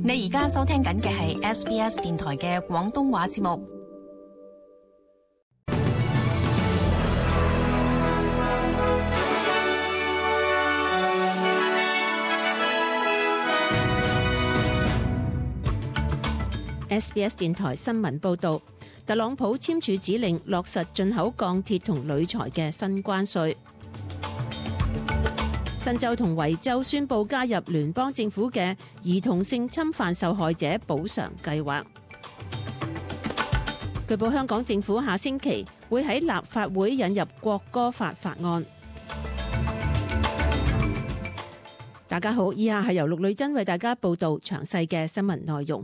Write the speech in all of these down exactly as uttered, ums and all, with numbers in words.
你而家收聽緊嘅係 S B S 電台嘅廣東話節目。S B S 電台新聞報導，特朗普簽署指令落實進口鋼鐵同鋁材嘅新關稅。新州同維州宣布加入聯邦政府嘅兒童性侵犯受害者補償計劃。據報香港政府下星期會喺立法會引入國歌法法案。大家好，以下係由陸女珍為大家報道詳細嘅新聞內容。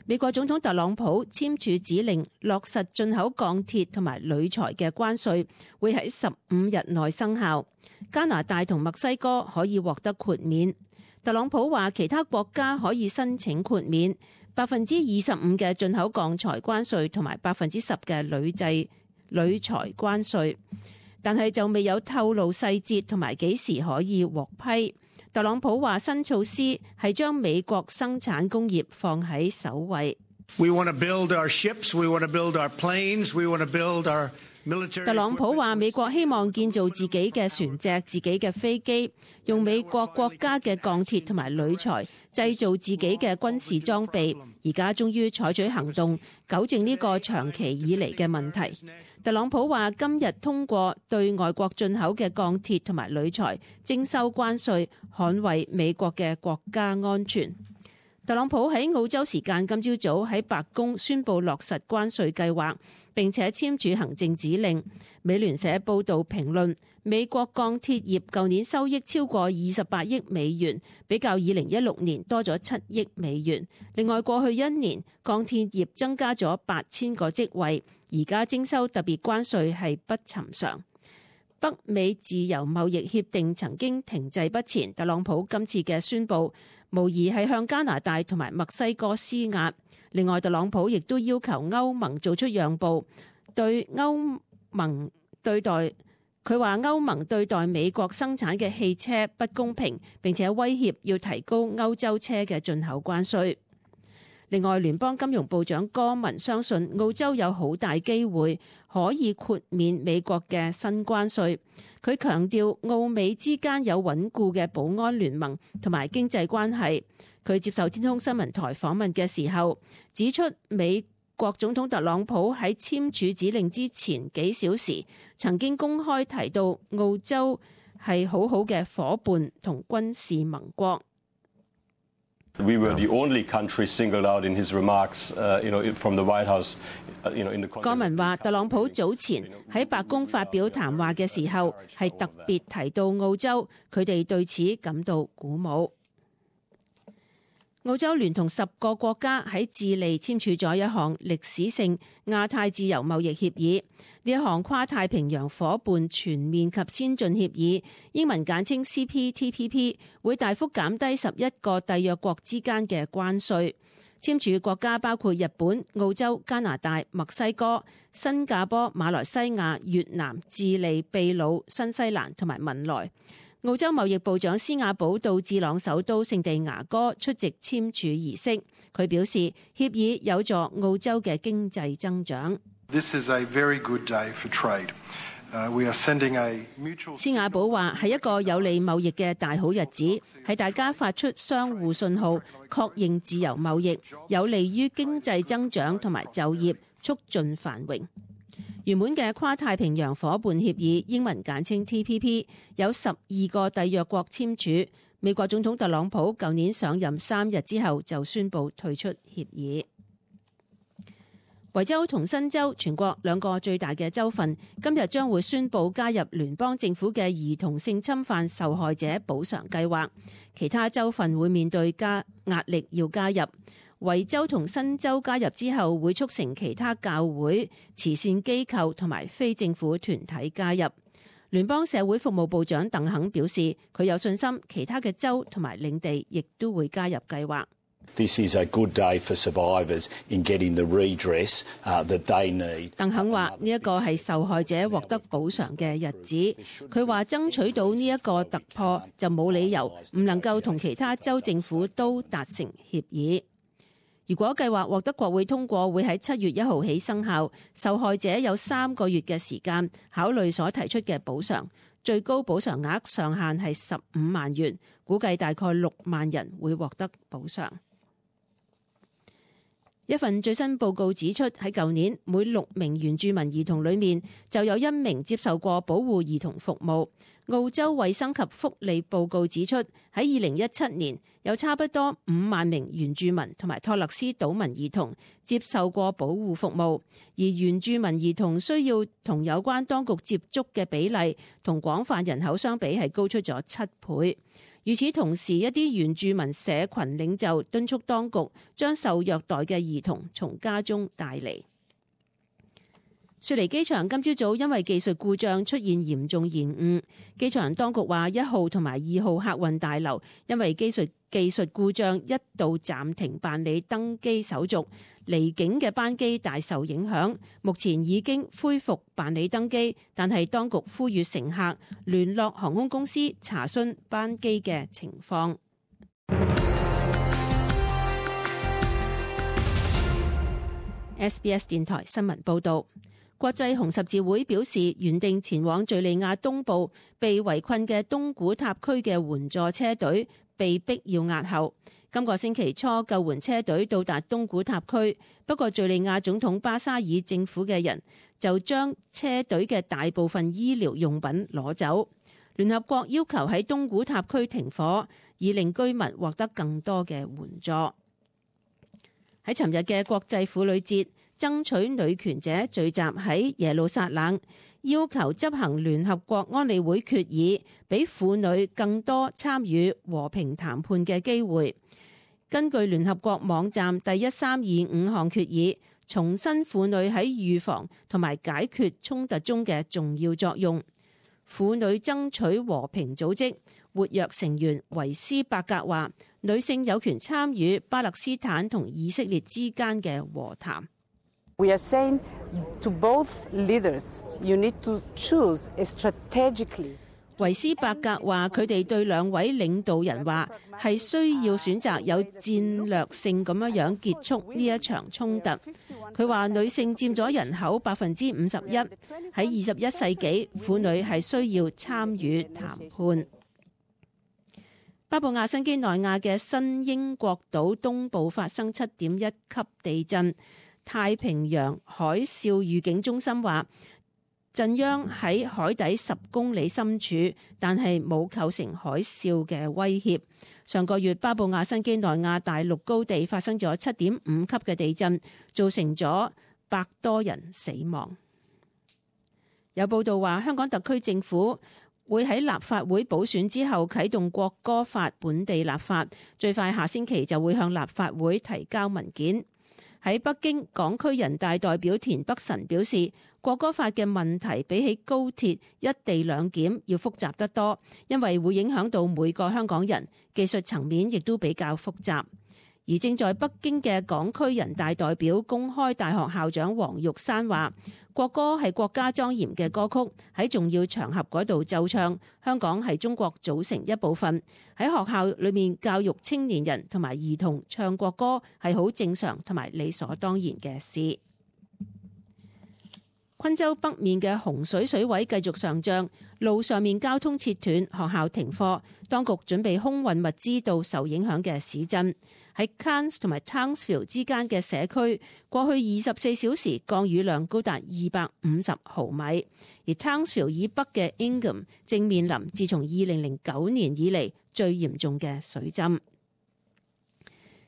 美國總統特朗普簽署指令落實進口鋼鐵同埋鋁材嘅關稅，會喺十五日內生效。加拿大同墨西哥可以獲得豁免。特朗普話其他國家可以申請豁免百分之二十五嘅進口鋼材關稅同埋百分之十嘅鋁製鋁材關稅，但係就未有透露細節同埋幾時可以獲批。特朗普話新措施係將美國生產工業放喺首位。We want to build our ships, we want to build our planes, we want to build our military. 特朗普話美國希望建造自己嘅船隻、自己嘅飛機，用美國國家嘅鋼鐵同埋鋁材製造自己嘅軍事裝備。而家終於採取行動，糾正呢個長期以嚟嘅問題。特朗普話今日通過對外國進口嘅鋼鐵同埋鋁材徵收關稅，捍衛美國嘅國家安全。特朗普喺澳洲時間今朝早喺白宮宣布落實關稅計劃，並且簽署行政指令。美聯社報導評論，美國鋼鐵業舊年收益超過二十八億美元，比較二零一六年多咗七億美元。另外，過去一年鋼鐵業增加咗八千個職位，而家徵收特別關稅係不尋常。北美自由貿易協定曾經停滯不前，特朗普今次嘅宣佈無疑係向加拿大同埋墨西哥施壓。另外，特朗普亦都要求歐盟做出讓步，對歐盟對待佢話歐盟對待美國生產嘅汽車不公平，並且威脅要提高歐洲車嘅進口關稅。另外，聯邦金融部長戈文相信澳洲有好大機會可以豁免美國嘅新關稅。佢強調澳美之間有穩固嘅保安聯盟同埋經濟關係。佢接受天空新聞台訪問嘅時候指出，美國總統特朗普喺簽署指令之前幾小時曾經公開提到澳洲係好好嘅夥伴同軍事盟國。We were the only country singled out in his remarks, uh, you know, from the White House, uh, you know, in the. 戈文話，特朗普早前喺白宮發表談話嘅時候，係特別提到澳洲，佢哋對此感到鼓舞。澳洲聯同十個國家喺智利簽署咗一項歷史性亞太自由貿易協議。呢一項跨太平洋夥伴全面及先進協議，英文簡稱 C P T P P， 會大幅減低十一個締約國之間嘅關稅。簽署國家包括日本、澳洲、加拿大、墨西哥、新加坡、馬來西亞、越南、智利、秘魯、新西蘭同埋文萊。澳洲貿易部長施瓦寶到智朗首都聖地牙哥出席簽署儀式，佢表示協議有助澳洲嘅經濟增長。This is a very good day for trade. Uh, we are sending a mutual. 施瓦寶話係一個有利貿易嘅大好日子，係大家發出相互信號，確認自由貿易有利於經濟增長同埋就業，促進繁榮。原本嘅跨太平洋夥伴協議，英文簡稱 T P P， 有十二個締約國簽署。美國總統特朗普舊年上任三日之後就宣布退出協議。維州同新州全國兩個最大嘅州份今日將會宣布加入聯邦政府嘅兒童性侵犯受害者補償計劃，其他州份會面對加壓力要加入。維州同新州加入之後，會促成其他教會、慈善機構同埋非政府團體加入。聯邦社會服務部長鄧肯表示，佢有信心其他嘅州同埋領地亦都會加入計劃。This is a good day for survivors in getting the redress that they need. 鄧肯話呢一個係受害者獲得補償嘅日子。佢話爭取到呢一個突破就冇理由唔能夠同其他州政府都達成協議。如果計劃獲得國會通過，會喺七月一號起生效。受害者有三個月嘅時間考慮所提出嘅補償，最高補償額上限係十五萬元，估計大概六萬人會獲得補償。一份最新報告指出，喺舊年每六名原住民兒童裏面就有一名接受過保護兒童服務。澳洲衛生及福利報告指出，喺二零一七年有差不多五萬名原住民同埋托勒斯島民兒童接受過保護服務，而原住民兒童需要同有關當局接觸嘅比例同廣泛人口相比係高出咗七倍。與此同時，一啲原住民社群領袖敦促當局將受虐待嘅兒童從家中帶離。雪梨機場今朝早因為技術故障出現嚴重延誤，機場當局話一號同埋二號客運大樓因為技術技術故障一度暫停辦理登機手續，離境嘅班機大受影響。目前已經恢復辦理登機，但係當局呼籲乘客聯絡航空公司查詢班機嘅情況。S B S 電台新聞報導。國際紅十字會表示，原定前往敘利亞東部被圍困嘅東古塔區嘅援助車隊被逼要押後。今個星期初，救援車隊到達東古塔區，不過敘利亞總統巴沙爾政府嘅人就將車隊嘅大部分醫療用品攞走。聯合國要求喺東古塔區停火，以令居民獲得更多嘅援助。喺尋日嘅國際婦女節，爭取女權者聚集喺耶路撒冷，要求執行聯合國安理會決議，俾婦女更多參與和平談判嘅機會。根據聯合國網站第一三二五項決議，重申婦女喺預防同埋解決衝突中嘅重要作用。婦女爭取和平組織活躍成員維斯伯格話，女性有權參與巴勒斯坦同以色列之間嘅和談。We are saying to both leaders, you need to choose strategically. 維斯伯格話：佢哋對兩位領導人話係需要選擇有戰略性咁樣樣結束呢一場衝突。佢話女性佔咗人口百分之五十一，喺二十一世紀，婦女係需要參與談判。巴布亞新畿內亞嘅新英國島東部發生七點一級地震。太平洋海嘯預警中心話，震央喺海底十公里深處，但係冇構成海嘯嘅威脅。上個月巴布亞新畿內亞大陸高地發生咗七點五級嘅地震，造成咗百多人死亡。有報道話，香港特區政府會喺立法會補選之後啟動國歌法本地立法，最快下星期就會向立法會提交文件。喺北京，港區人大代表田北辰表示，國歌法嘅問題比起高鐵一地兩檢要複雜得多，因為會影響到每個香港人，技術層面亦都比較複雜。而正在北京嘅港區人大代表公開大學校長黃玉山話，國歌係國家莊嚴嘅歌曲，喺重要場合嗰度奏唱。香港係中國組成一部分，喺學校裏面教育青年人同埋兒童唱國歌係好正常同埋理所當然嘅事。昆州北面嘅洪水水位繼續上漲，路上面交通切斷，學校停課，當局準備空運物資到受影響嘅市鎮。喺 Cairns 同埋 Townsville 之間嘅社區，過去二十四小時降雨量高達二百五十毫米，而 Townsville 以北嘅 Ingham 正面臨自從二零零九年以嚟最嚴重嘅水浸。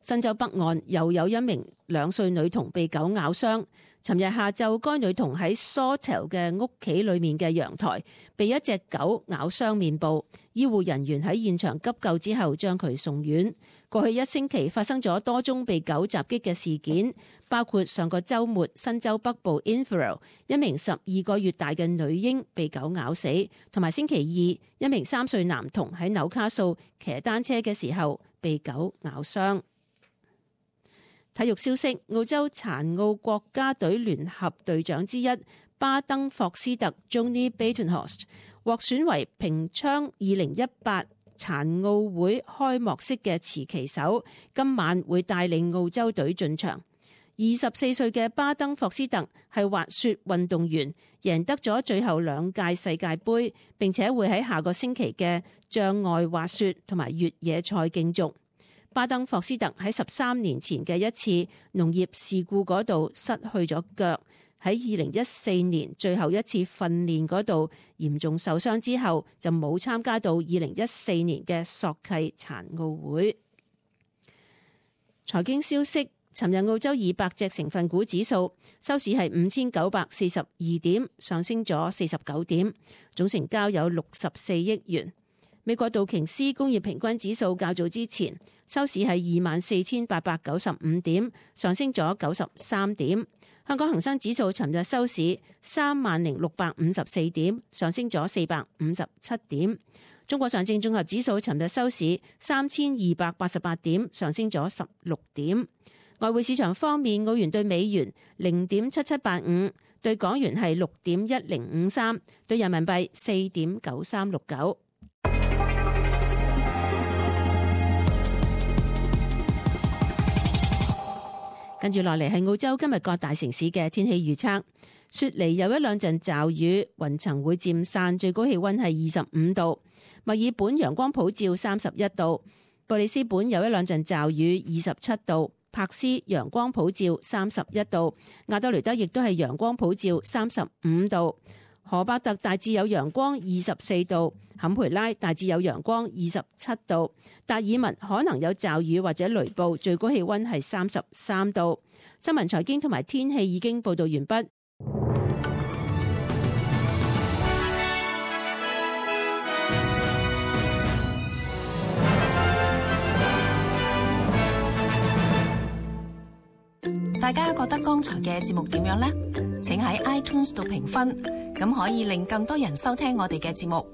新州北岸又有一名兩歲女童被狗咬傷。尋日下晝，該女童喺 Sawtell 嘅屋企裏面嘅陽台被一隻狗咬傷面部，醫護人員喺現場急救之後將佢送院。過去一星期發生咗多宗被狗襲擊嘅事件，包括上個週末新州北部 Inverell 一名十二個月大嘅女嬰被狗咬死，同埋星期二一名三歲男童喺紐卡素騎單車嘅時候被狗咬傷。體育消息，澳洲殘奧國家隊聯合隊長之一巴登霍斯特 Johnny Batenhorst 獲選為平昌二零一八殘奧會開幕式嘅持旗手，今晚會帶領澳洲隊進場。二十四歲嘅巴登霍斯特係滑雪運動員，贏得咗最後兩屆世界盃，並且會喺下個星期嘅障礙滑雪同埋越野賽競逐。巴登霍斯特喺十三年前嘅一次農業事故嗰度失去咗腳，喺二零一四年最後一次訓練嗰度嚴重受傷之後，就冇參加到二零一四年嘅索契殘奧會。財經消息。尋日澳洲二百隻成分股指數收市係五千九百四十二點，上升咗四十九點，總成交有六十四億元。美國道瓊斯工業平均指數較早之前收市係二萬四千八百九十五點，上升咗九十三點。香港恒生指數尋日收市三萬零六百五十四點，上升咗四百五十七點。中國上證綜合指數尋日收市三千二百八十八點，上升咗十六點。外匯市場方面，澳元對美元零點七七八五，對港元係六點一零五三，對人民幣四點九三六九。跟住落嚟係澳洲今日各大城市嘅天氣預測。雪梨有一兩陣驟雨，雲層會漸散，最高氣溫係二十五度。墨爾本陽光普照，三十一度。布里斯本有一兩陣驟雨，二十七度。柏斯陽光普照，三十一度。亞德雷德亦都係陽光普照，三十五度。荷伯特大致有陽光，二十四度。坎培拉大致有陽光，二十七度。達爾文可能有驟雨或者雷暴，最高氣溫係三十三度。新聞財經同埋天氣已經報道完畢。大家覺得剛才嘅節目點樣呢？請喺 iTunes 度評分，咁可以令更多人收聽我哋嘅節目。